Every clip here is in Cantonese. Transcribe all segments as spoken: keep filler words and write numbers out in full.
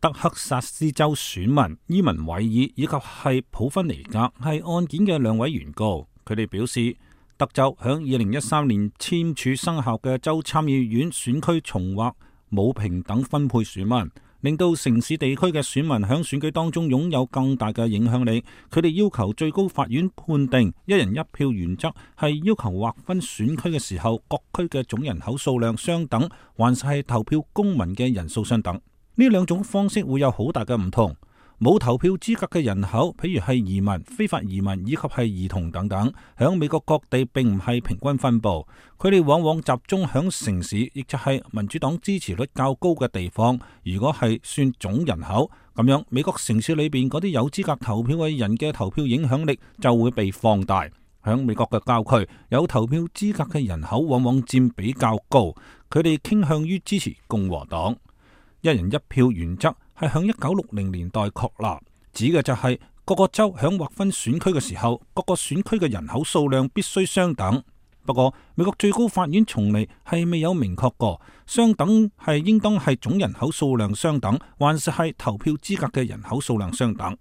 德克薩斯州選民伊文韋爾以及係普芬尼格係案件嘅兩位原告，佢哋表示，德州響二零一三年簽署生效嘅州參議院選區重劃冇平等分配選民，令到城市地區嘅選民響選舉當中擁有更大嘅影響力。佢哋要求最高法院判定一人一票原則係要求劃分選區嘅時候，各區嘅總人口數量相等，還是係投票公民嘅人數相等。呢兩種方式會有好大嘅唔同。冇投票資格嘅人口，譬如係移民、非法移民以及係兒童等等，響美國各地並唔係平均分布，佢哋往往集中響城市，亦就係民主黨支持率較高嘅地方。如果係算總人口咁樣，美國城市裏邊嗰啲有資格投票嘅人嘅投票影響力就會被放大。響美國嘅郊區，有投票資格嘅人口往往佔比較高，佢哋傾向於支持共和黨。一人一票原則係響一九六零年代確立，指嘅就係各個州響劃分選區嘅時候，各個選區嘅人口數量必須相等。不過美國最高法院從嚟係未有明確過，相等係應當係總人口數量相等，還是係投票資格嘅人口數量相等。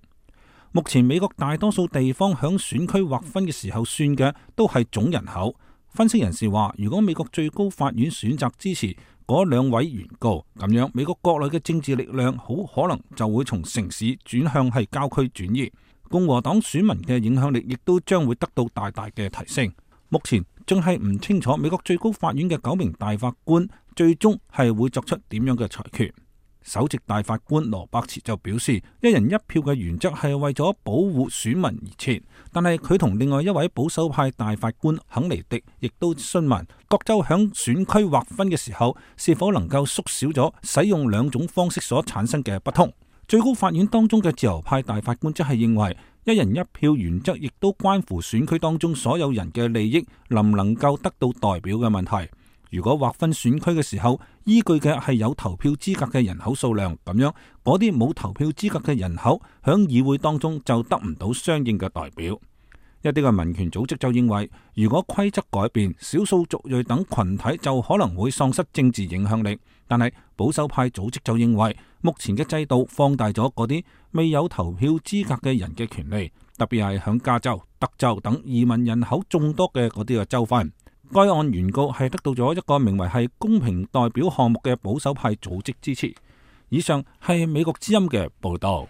目前美國大多數地方響選區劃分嘅時候算嘅都係總人口。分析人士話，如果美國最高法院選擇支持嗰兩位原告，咁樣美國國內嘅政治力量好可能就會從城市轉向係郊區轉移，共和黨選民嘅影響力亦都將會得到大大嘅提升。目前仲係唔清楚美國最高法院嘅九名大法官最終係會作出點樣嘅裁決。首席大法官羅伯茨就表示，一人一票嘅原則係為咗保護選民而設，但係佢同另外一位保守派大法官肯尼迪亦都詢問各州響選區劃分嘅時候，是否能夠縮小咗使用兩種方式所產生嘅不同。最高法院當中嘅自由派大法官則係認為，一人一票原則亦都關乎選區當中所有人嘅利益能唔能夠得到代表嘅問題。如果劃分選區嘅時候依據嘅係有投票資格嘅人口數量，咁樣嗰啲冇投票資格嘅人口響議會當中就得唔到相應嘅代表。一啲嘅民權組織就認為，如果規則改變，少數族裔等群體就可能會喪失政治影響力。但係保守派組織就認為，目前嘅制度放大咗嗰啲未有投票資格嘅人嘅權利，特別係響加州、德州等移民人口眾多嘅嗰啲嘅州份。該案原告係得到咗一個名為係公平代表項目嘅保守派組織支持。以上係美國之音嘅報道。